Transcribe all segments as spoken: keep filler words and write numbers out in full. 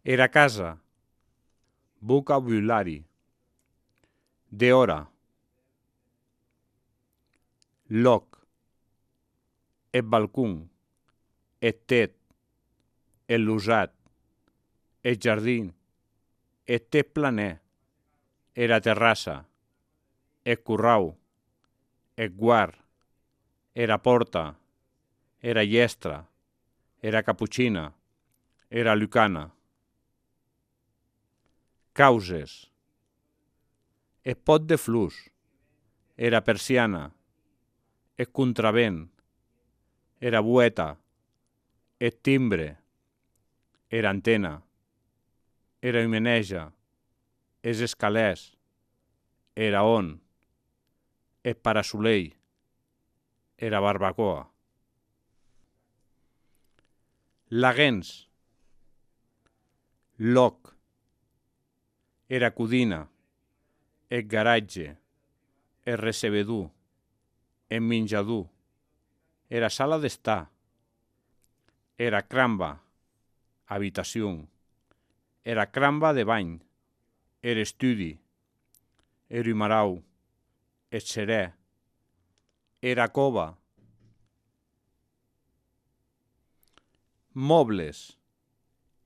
Era casa. Vocabulari. De hora. Loc. El balcón. El tet. El lusat. El jardí. El tet planer. Era terrassa. El currau. El guard. Era porta. Era llestra. Era caputxina. Era lucana. Causes. El pot de flux. Era persiana. El contravent. Era bueta. El timbre. Era antena. Era himeneja. Els escalers. Era on. El parasolell. Era barbacoa. Laguens. Loc. Era codina. El garatge. El recebedor. El menjador. Era sala d'estar. Era cramba. Habitació. Era cramba de bany. Era estudi. Era humarau. El serè. Era cova. Mobles.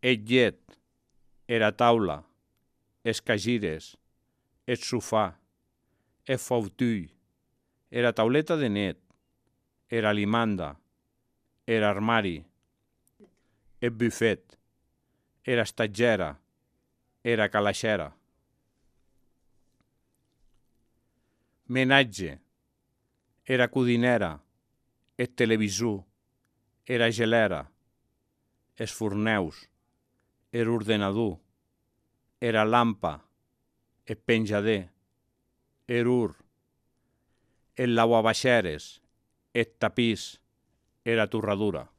El llet. Era taula. Els cagires. El sofà. El fautull. Era tauleta de net. Era limanda. Era armari. El bufet. Era estatgera. Era calaixera. Menatge. Era codinera. El televisor. Era gelera. Els forneus. Era ordenador. Era lampa. El penjader. El ur. El lavavaixeres. El tapís. Era torradura.